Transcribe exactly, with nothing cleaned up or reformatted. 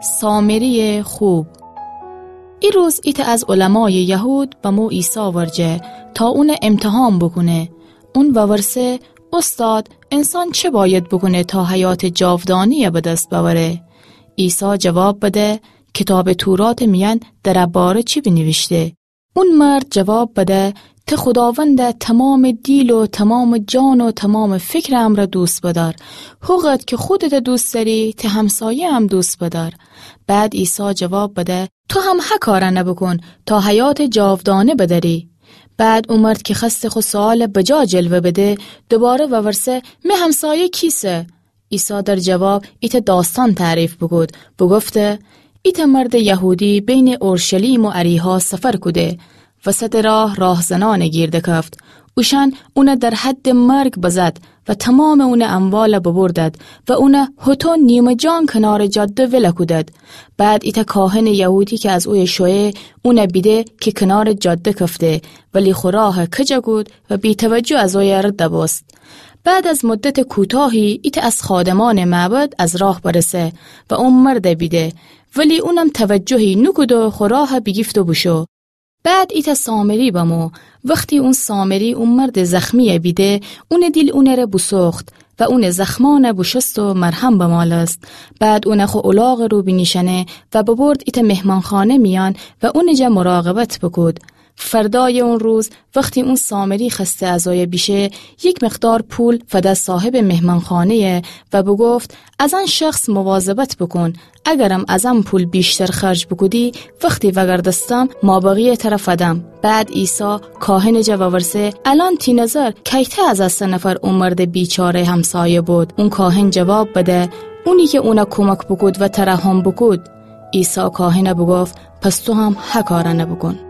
سامری‌یٚ خوب. ای روز ایتأ از علمایٚ یهود بمو عیسی ورجه تا اونَ امتحان بوکونه. اون وورسه: اوستاد، انسان چه بأید بوکونه تا حیاتٚ جاودانه‌یَ به دس بأوره؟ عیسی جواب بده: کیتابٚ توراتٚ میأن در ا باره چی بینیویشته؟ اون مرد جواب بده: ته خوداوندَ تومامٚ دیل و تومامٚ جان و تومامٚ فکرٚ امرأ دوست بدار. هوقدر کی خودتَ دوست دأری، ته همسایه‌یَ هم دوست بدار. بعد عیسی جواب بده: تو هم ه کارأنَ بوکون تا حیاتٚ جاودانه بدأری. بعد او مرد کی خوأسته خو سؤالَ بجا جلوه بده، دوباره وورسه: می همسایه کیسه؟ عیسی در جواب ایتأ داستان تعریف بوکود، بوگفته: ایتأ مردٚ یهودی بینٚ اورشلیم و اریحا سفر کوده، وسطٚ راه راهزنأنَ گیر دکفت. اوشأن اونَ در حدٚ مرگ بزد و تومامٚ اونٚ اموالَ ببردد و اونَ هوطو نیمه جان کنارٚ جاده ول کودد. بعد ایتأ کاهنٚ یهودی کی از اویه شویه، اونَ بیده کی کنارٚ جاده کفته، ولی خو راهَ کج کود و بی‌توجه از اویه رد بوست. بعد از مدتٚ کوتاهی ایتأ از خادمأنٚ معبد از راه برسه و او مردَ بیده، ولی اونم توجهی نوکود و خو راهَ بیگیفت و بوشو. بعد ایتأ سامری بمو. وختی اون سامری او مردٚ زخمی‌یَ بیده، اونٚ دیل اونٚره بوسوخت و اونٚ زخمأنَ بوشوست و مرهم بمالست. بعد اونَ خو الاغٚ رو بینیشأنه و ببرد ایتأ مهمانخانه میأن و اونٚ جا مراقبت بوکود. فردایٚ اون روز وختی اون سامری خوأسته از اویه بیشه، یک مقدار پول فده صاحبٚ مهمانخانه‌یَ و بوگفت: از ان شخص مواظبت بوکون، اگرم از ان پول ویشتر خرج بوکودی، وختی وأگردستم مابقی‌یَ تره فدم. بعد عیسی کاهنٚ جا وورسه: الأن تی نظر کیته از ا سه نفر او مردٚ بیچاره‌یٚ همسایه بود؟ اون کاهن جواب بده: اونی کی اونَ کمک بوکود و ترحم بوکود. عیسی کاهنَ بوگفت: پس تو هم ه کارأنَ بوکون.